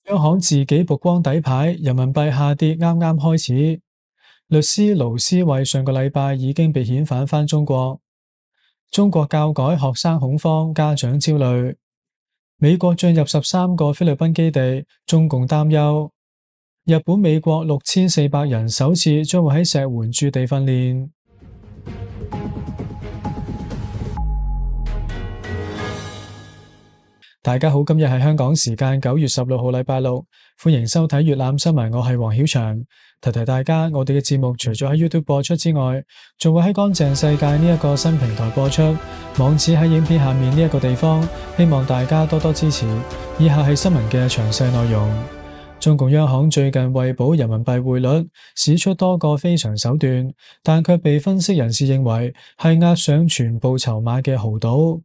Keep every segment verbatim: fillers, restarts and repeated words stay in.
央行自己曝光底牌，人民幣下跌啱啱開始。律師盧思位上個禮拜已經被遣返返中國。中國教改學生恐慌，家長焦慮。美國進入十三個菲律賓基地，中共擔憂。日本、美國六千四百人首次將會喺石垣駐地訓練。大家好，今日係香港時間九月十六號禮拜六，歡迎收睇粵覽新聞，我係黃曉翔。提提大家，我哋嘅節目除咗喺 YouTube 播出之外，仲會喺乾淨世界呢一個新平台播出，網址喺影片下面呢一個地方，希望大家多多支持。以下係新聞嘅詳細內容。中共央行最近為保人民幣匯率，使出多個非常手段，但卻被分析人士認為係押上全部籌碼嘅豪賭。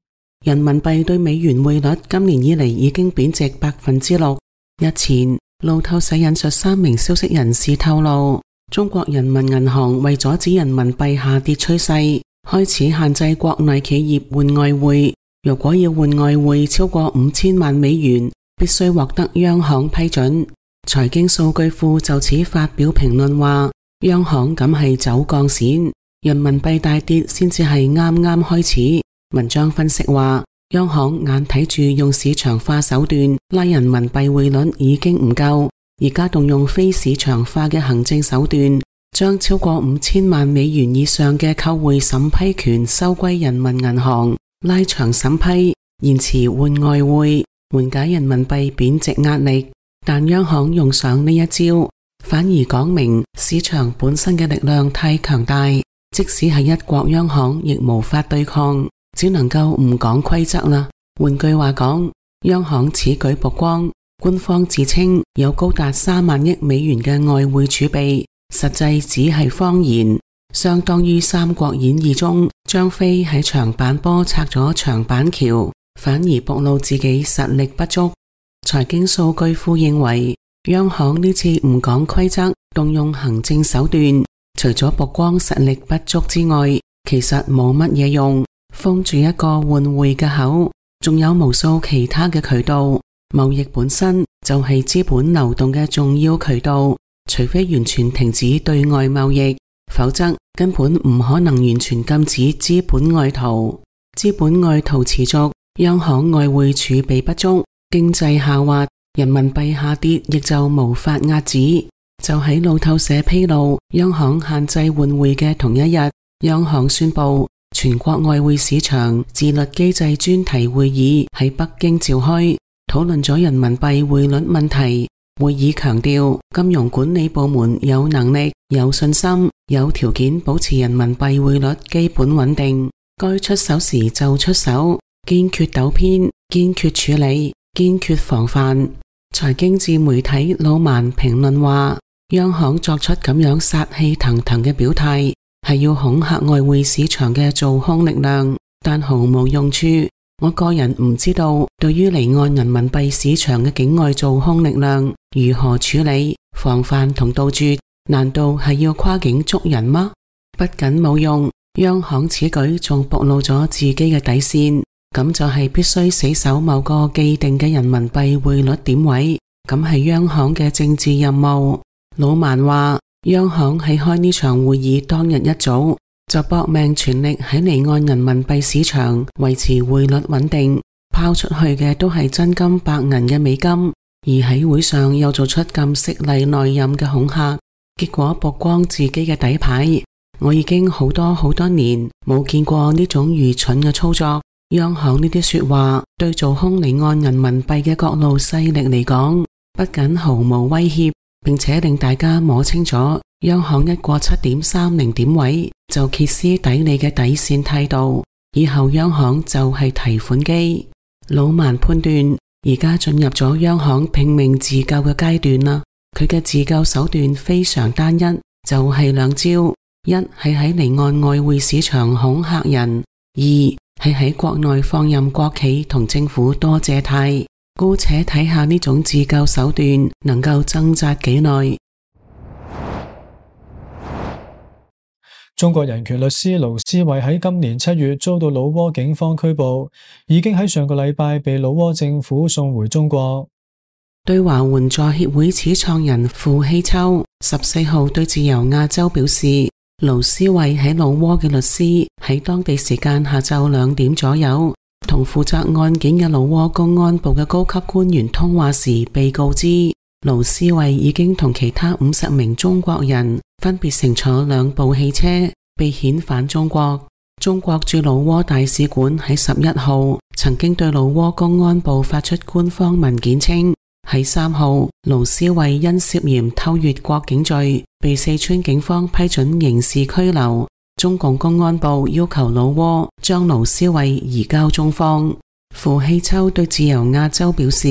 人民幣對美元匯率今年以嚟已經貶值百分之六。日前，路透社引述三名消息人士透露，中國人民銀行為阻止人民幣下跌趨勢，開始限制國內企業換外匯。如果要換外匯超過五千萬美元，必須獲得央行批准。財經數據庫就此發表評論話，央行咁係走鋼線，人民幣大跌先至係啱啱開始。文章分析話，央行眼睇住用市場化手段拉人民幣匯率已經唔夠，而家動用非市場化嘅行政手段，將超過五千萬美元以上嘅購匯審批權收歸人民銀行，拉長審批，延遲換外匯，緩解人民幣貶值壓力。但央行用上呢一招，反而講明市場本身嘅力量太強大，即使係一國央行亦無法對抗。只能夠唔講規則啦。換句話講，央行此舉曝光，官方自稱有高達三萬億美元嘅外匯儲備，實際只係謊言，相當於《三國演義》中張飛喺長板坡拆咗長板橋，反而暴露自己實力不足。財經數據庫認為，央行呢次唔講規則，動用行政手段，除咗曝光實力不足之外，其實冇乜嘢用。封住一個換匯嘅口，仲有無數其他嘅渠道。貿易本身就係資本流動嘅重要渠道，除非完全停止對外貿易，否則根本唔可能完全禁止資本外逃。資本外逃持續，央行外匯儲備不足，經濟下滑，人民幣下跌亦就無法遏止。就喺路透社披露央行限制換匯嘅同一日，央行宣布全國外匯市場自律機制專題會議喺北京召開，討論咗人民幣匯率問題。會議強調，金融管理部門有能力、有信心、有條件保持人民幣匯率基本穩定，該出手時就出手，堅決糾偏，堅決處理，堅決防範。財經自媒體老萬評論話，央行作出咁樣殺氣騰騰嘅表態，係要恐嚇外匯市場嘅做空力量，但毫無用處。我個人唔知道，對於離岸人民幣市場嘅境外做空力量如何處理、防範同杜絕？難道係要跨境捉人嗎？不僅冇用，央行此舉仲暴露咗自己嘅底線，咁就係必須死守某個既定嘅人民幣匯率點位，咁係央行嘅政治任務。老萬話，央行喺開呢場會議當日一早就搏命全力喺離岸人民幣市場維持匯率穩定，拋出去嘅都係真金白銀嘅美金，而喺會上又做出咁犀利內任嘅恐嚇，結果曝光自己嘅底牌。我已經好多好多年冇見過呢種愚蠢嘅操作。央行呢啲說話對做空離岸人民幣嘅各路勢力嚟講，不僅毫無威脅，並且令大家摸清楚央行一過七點三零點位就歇斯底里嘅底線態度，以後央行就係提款機。老萬判斷，而家進入咗央行拼命自救嘅階段啦。佢嘅自救手段非常單一，就係兩招：一係喺離岸外匯市場恐嚇人，二係喺國內放任國企同政府多借貸。姑且睇下呢種自救手段能夠掙扎幾耐。中國人權律師盧思位喺今年七月遭到老撾警方拘捕，已經喺上個禮拜被老撾政府送回中國。對華援助協會始創人傅希秋十四號對自由亞洲表示，盧思位喺老撾嘅律師喺當地時間下晝兩點左右同負責案件嘅老撾公安部嘅高級官員通話時，被告知盧思位已經同其他五十名中國人分別乘坐兩部汽車被遣返中國。中國駐老撾大使館喺十一號曾經對老撾公安部發出官方文件稱，喺三號盧思位因涉嫌偷越國境罪被四川警方批准刑事拘留，中共公安部要求老撾將盧思位移交中方。傅希秋對自由亞洲表示，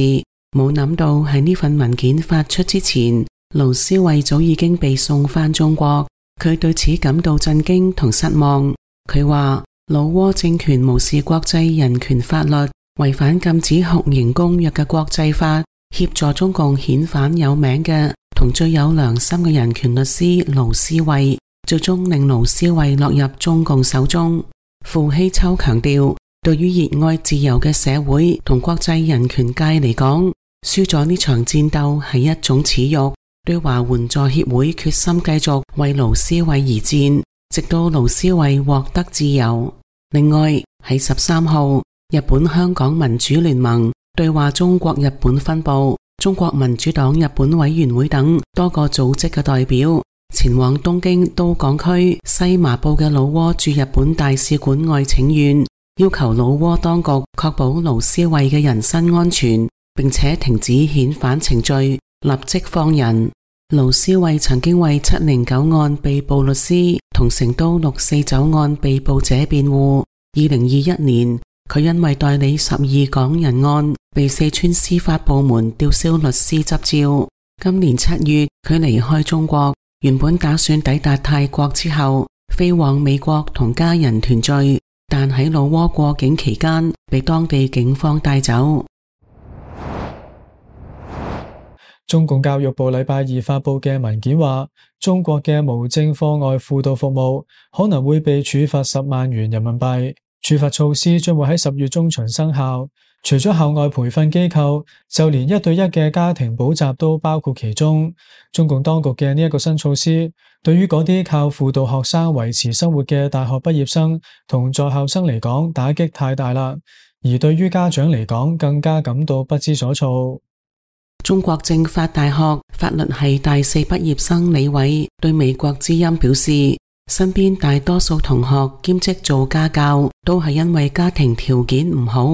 冇諗到喺呢份文件發出之前，盧思位早已經被送返中國，佢對此感到震驚同失望。佢話老撾政權無視國際人權法律，違反禁止酷刑公約嘅國際法，協助中共遣返有名嘅同最有良心嘅人權律師盧思位，最終令盧思位落入中共手中。傅希秋強調，對於熱愛自由嘅社會同國際人權界嚟講，輸咗呢場戰鬥係一種恥辱。對華援助協會決心繼續為盧思位而戰，直到盧思位獲得自由。另外喺十三號，日本香港民主聯盟、對話中國日本分部、中國民主黨日本委員會等多個組織嘅代表前往東京都港區西麻布嘅老撾駐日本大使館外請願，要求老撾當局確保盧思位嘅人身安全，並且停止遣返程序，立即放人。盧思位曾經為七零九案被捕律師同成都六四九案被捕者辯護。二零二一年，佢因為代理十二港人案被四川司法部門吊銷律師執照。今年七月，佢離開中國，原本打算抵達泰國之後飛往美國同家人團聚，但喺老撾過境期間被當地警方帶走。中共教育部禮拜二發佈嘅文件話，中國嘅無證課外輔導服務可能會被處罰十萬元人民幣，處罰措施將會喺十月中旬生效。除咗校外培訓機構，就連一對一嘅家庭補習都包括其中。中共當局嘅呢一個新措施，對於嗰啲靠輔導學生維持生活嘅大學畢業生同在校生嚟講，打擊太大啦，而對於家長嚟講，更加感到不知所措。中國政法大學法律系大四畢業生李偉對美國之音表示，身邊大多數同學兼職做家教都係因為家庭條件唔好，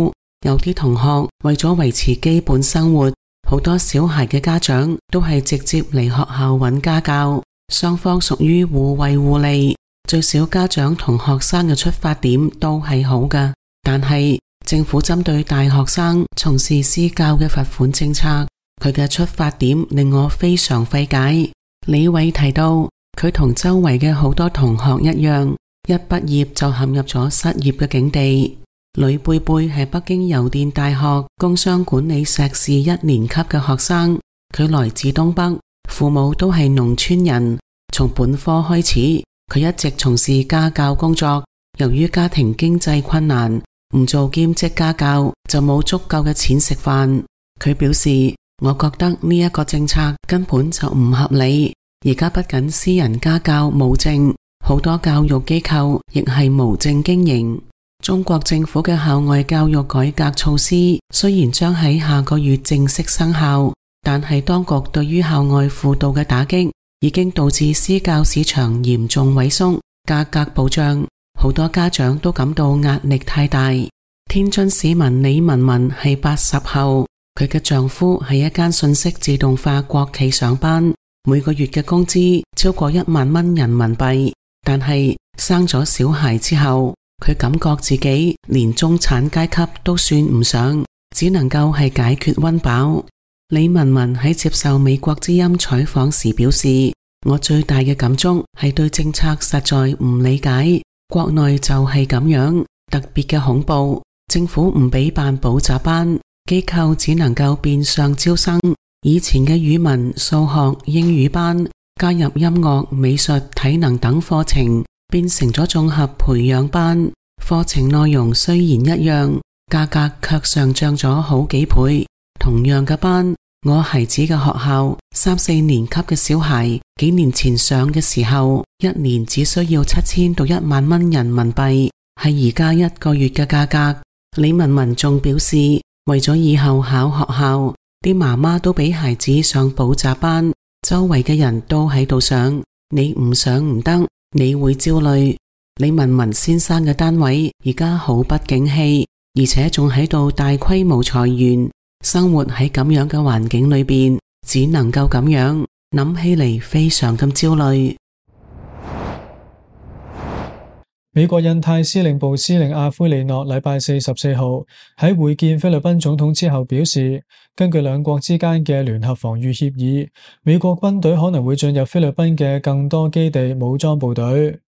有啲同學為咗維持基本生活，好多小孩嘅家長都係直接嚟學校揾家教，雙方屬於互惠互利，最少家長同學生嘅出發點都係好㗎。但係政府針對大學生從事私教嘅罰款政策，佢嘅出發點令我非常費解。李偉提到，佢同周圍嘅好多同學一樣，一畢業就陷入咗失業嘅境地。呂貝貝係北京郵電大學工商管理碩士一年級嘅學生，佢來自東北，父母都係農村人。從本科開始，佢一直從事家教工作，由於家庭經濟困難，唔做兼職家教就冇足夠嘅錢食飯。佢表示，我覺得呢一個政策根本就唔合理。而家不僅私人家教無證，好多教育機構亦係無證經營。中國政府嘅校外教育改革措施雖然將喺下個月正式生效，但係當局對於校外輔導嘅打擊已經導致私教市場嚴重萎縮，價格暴漲，好多家長都感到壓力太大。天津市民李文文係八十後，佢嘅丈夫喺一間信息自動化國企上班，每個月嘅工資超過一萬蚊人民幣，但係生咗小孩之後，佢感覺自己連中產階級都算唔上，只能夠係解決溫飽。李文文喺接受美國之音採訪時表示，我最大嘅感觸係對政策實在唔理解，國內就係咁樣，特別嘅恐怖。政府唔俾辦補習班，機構只能夠變相招生。以前嘅語文、數學、英語班加入音樂、美術、體能等課程，變成咗綜合培養班。課程內容雖然一樣，價格卻上漲咗好幾倍。同樣嘅班，我孩子嘅學校三四年級嘅小孩幾年前上嘅時候，一年只需要七千到一萬蚊人民幣，係而家一個月嘅價格。李文文仲表示，為咗以後考學校，啲媽媽都俾孩子上補習班，周圍嘅人都喺度上，你唔上唔得，你會焦慮。李文文先生嘅單位而家好不景氣，而且仲喺度大規模裁員，生活喺咁樣嘅環境裏邊，只能夠咁樣，諗起嚟非常咁焦慮。美國印太司令部司令阿奎利諾禮拜四十四號喺會見菲律賓總統之後表示，根據兩國之間嘅聯合防禦協議，美國軍隊可能會進入菲律賓嘅更多基地武裝部隊。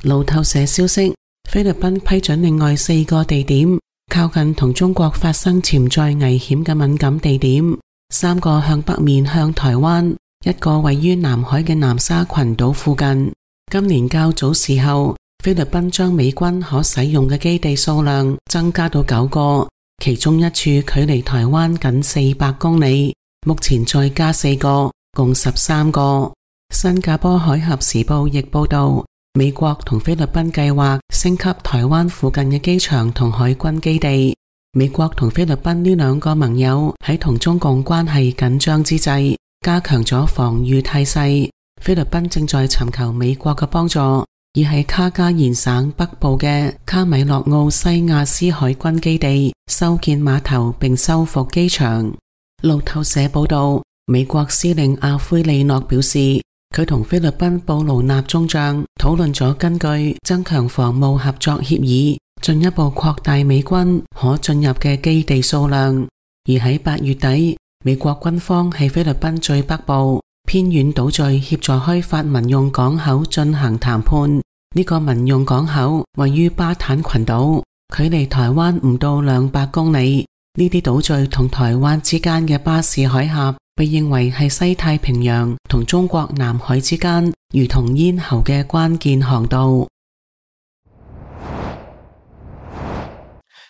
路透社消息，菲律賓批准另外四個地點，靠近同中國發生潛在危險嘅敏感地點，三個向北面向台灣，一個位於南海嘅南沙群島附近。今年較早時候，菲律賓將美軍可使用嘅基地數量增加到九個，其中一處距離台灣僅四百公里，目前再加四個，共十三個。新加坡海峽時報亦報道，美國同菲律賓計劃升級台灣附近嘅機場同海軍基地。美國同菲律賓呢兩個盟友喺同中共關係緊張之際，加強咗防禦態勢。菲律賓正在尋求美國嘅幫助，而喺卡加延省北部嘅卡米諾奧西亞斯海軍基地修建碼頭並修復機場。路透社報道，美國司令阿奎利諾表示，佢同菲律賓布魯納中將討論咗根據增強防務合作協議，進一步擴大美軍可進入嘅基地數量。而喺八月底，美國軍方喺菲律賓最北部偏遠島嶼協助開發民用港口進行談判。呢個民用港口位於巴坦群島，距離台灣唔到兩百公里。呢啲島嶼同台灣之間嘅巴士海峽被認為係西太平洋同中國南海之間如同咽喉嘅關鍵航道。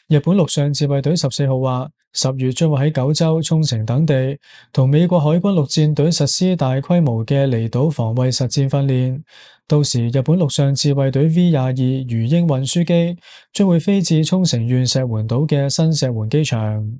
日本陸上自衛隊十四號話，十月將會喺九州、沖繩等地同美國海軍陸戰隊實施大規模嘅離島防衛實戰訓練。到時，日本陸上自衛隊 V 廿二魚鷹運輸機將會飛至沖繩縣石垣島嘅新石垣機場。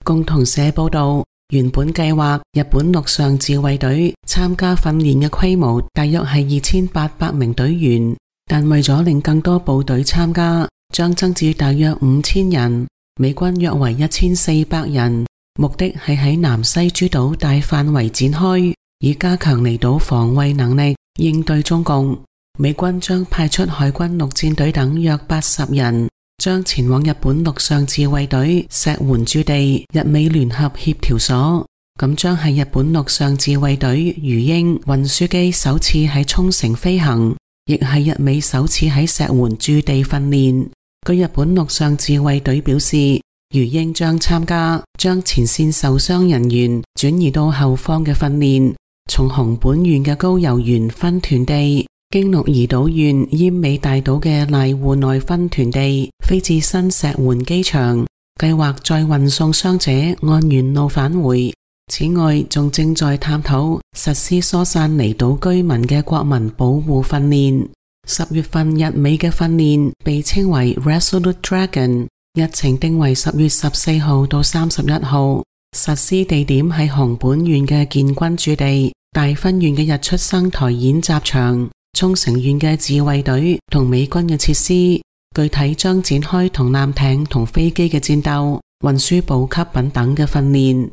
共同社報道，原本計劃日本陸上自衛隊參加訓練嘅規模大約係二千八百名隊員，但為咗令更多部隊參加，將增至大約五千人，美軍約為一千四百人，目的係喺南西諸島大範圍展開，以加強離島防衛能力，應對中共。美軍將派出海軍陸戰隊等約八十人，將前往日本陸上自衛隊石垣駐地日美聯合協調所。咁將係日本陸上自衛隊魚鷹運輸機首次喺沖繩飛行，亦係日美首次喺石垣駐地訓練。據日本陸上自衛隊表示，魚鷹將參加將前線受傷人員轉移到後方嘅訓練，從熊本縣嘅高遊原分屯地經鹿兒島縣奄美大島嘅瀨戶內分屯地飛至新石垣機場，計劃再運送傷者按原路返回。此外，仲正在探討實施疏散離島居民嘅國民保護訓練。十月份日美嘅訓練被稱為 Resolute Dragon， 日程定為十月十四號到三十一號，實施地點喺熊本縣嘅建軍駐地、大分縣嘅日出生台演習場、沖繩縣嘅自衛隊同美軍嘅設施，具體將展開同艦艇同飛機嘅戰鬥、運輸補給品等嘅訓練。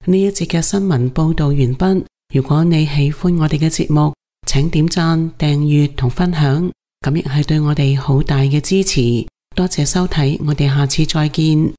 呢一節嘅新聞報道完畢。如果你喜歡我哋嘅節目，請點讚、訂閱同分享，咁亦係對我哋好大嘅支持。多謝收睇，我哋下次再見。